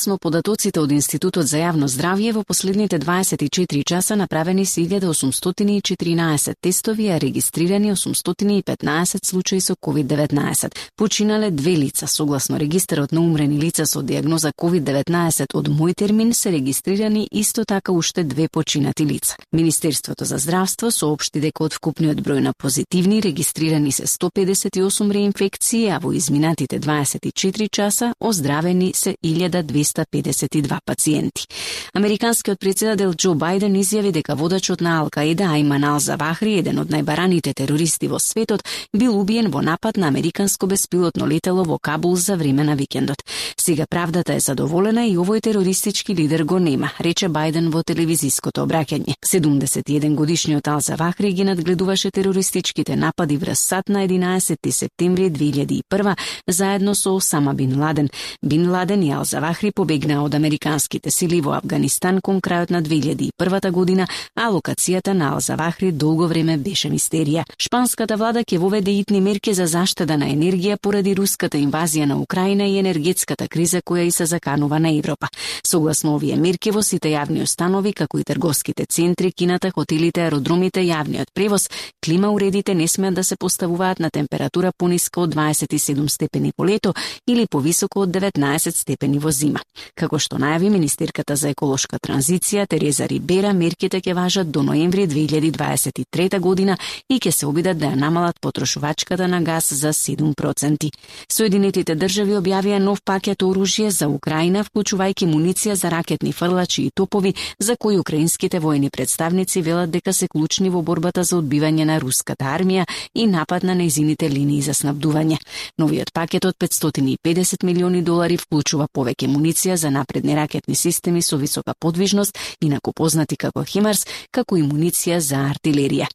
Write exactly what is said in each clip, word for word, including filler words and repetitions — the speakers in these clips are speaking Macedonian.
Согласно податоците од Институтот за јавно здравје, во последните дваесет и четири часа направени се илјада осумстотини и четиринаесет тестови, а регистрирани осумстотини и петнаесет случаи со ковид деветнаесет. Починале две лица. Согласно регистарот на умрени лица со диагноза ковид деветнаесет од мој термин се регистрирани исто така уште две починати лица. Министерството за здравство соопшти дека од вкупниот број на позитивни регистрирани се сто педесет и осум реинфекции, а во изминатите дваесет и четири часа оздравени се илјада двеста педесет и два пациенти. Американскиот претседател Џо Бајден изјави дека водачот на Ал-Каида Ајман Ал-Завахри, еден од најбараните терористи во светот, бил убиен во напад на американско беспилотно летело во Кабул за време на викендот. Сега правдата е задоволена и овој терористички лидер го нема, рече Бајден во телевизиското обраќање. седумдесет и еден годишниот Ал-Завахри ги надгледуваше терористичките напади врз САД на единаесетти септември две илјади и прва заедно со Осама Бин Ладен. Бин Ладен и Ал-Завахри побегнаа од американските сили во Авганистан кон крајот на две илјади и првата година, а локацијата на Ал-Завахри долго време беше мистерија. Шпанската влада ќе воведе итни мерки за заштеда на енергија поради руската инвазија на Украина и енергетската криза која и се заканува на Европа. Согласно овие мерки во сите јавни установи, како и трговските центри, кината, хотелите, аеродромите, јавниот превоз, клима уредите не смеат да се поставуваат на температура пониска од дваесет и седум степени по лето или повисоко од деветнаесет степени во зима. Како што најави министерката за еколошка транзиција Тереза Рибера, мерките ќе важат до ноември две илјади дваесет и трета година и ќе се обидат да ја намалат потрошувачката на газ за седум проценти. Соединетите држави објавија нов пакет оружје за Украина, вклучувајќи муниција за ракетни фрлачи и топови, за кои украинските воени представници велат дека се клучни во борбата за одбивање на руската армија и напад на нејзините линии за снабдување. Новиот пакет од петстотини и педесет милиони долари вклучува повеќе муниција за напредни ракетни системи со висока подвижност, инаку познати како химарс, како и муниција за артилерија.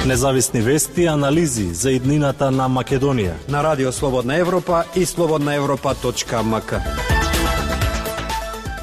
Независни вести и анализи за иднината на Македонија на Радио Слободна Европа и слободна европа точка ем ка.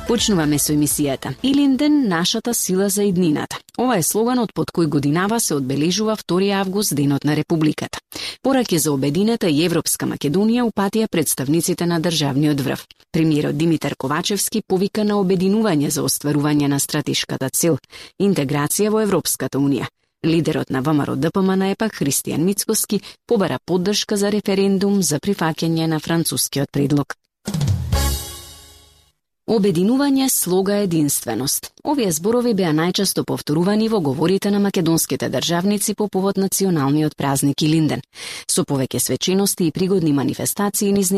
Почнуваме со емисијата Илинден, нашата сила за иднината. Ова е слоганот под кој годинава се одбележува втори август, денот на Републиката. Пораки за обединета и Европска Македонија упатија представниците на државниот врв. Премиерот Димитар Ковачевски повика на обединување за остварување на стратешката цел – интеграција во Европската унија. Лидерот на ВМРО Д П М Н епак Христијан Мицкоски побара поддршка за референдум за прифаќање на францускиот предлог. Обединување, слога, единственост. Овие зборови беа најчесто повторувани во говорите на македонските државници по повод националниот празник Илинден. Со повеќе свечености и пригодни манифестации низ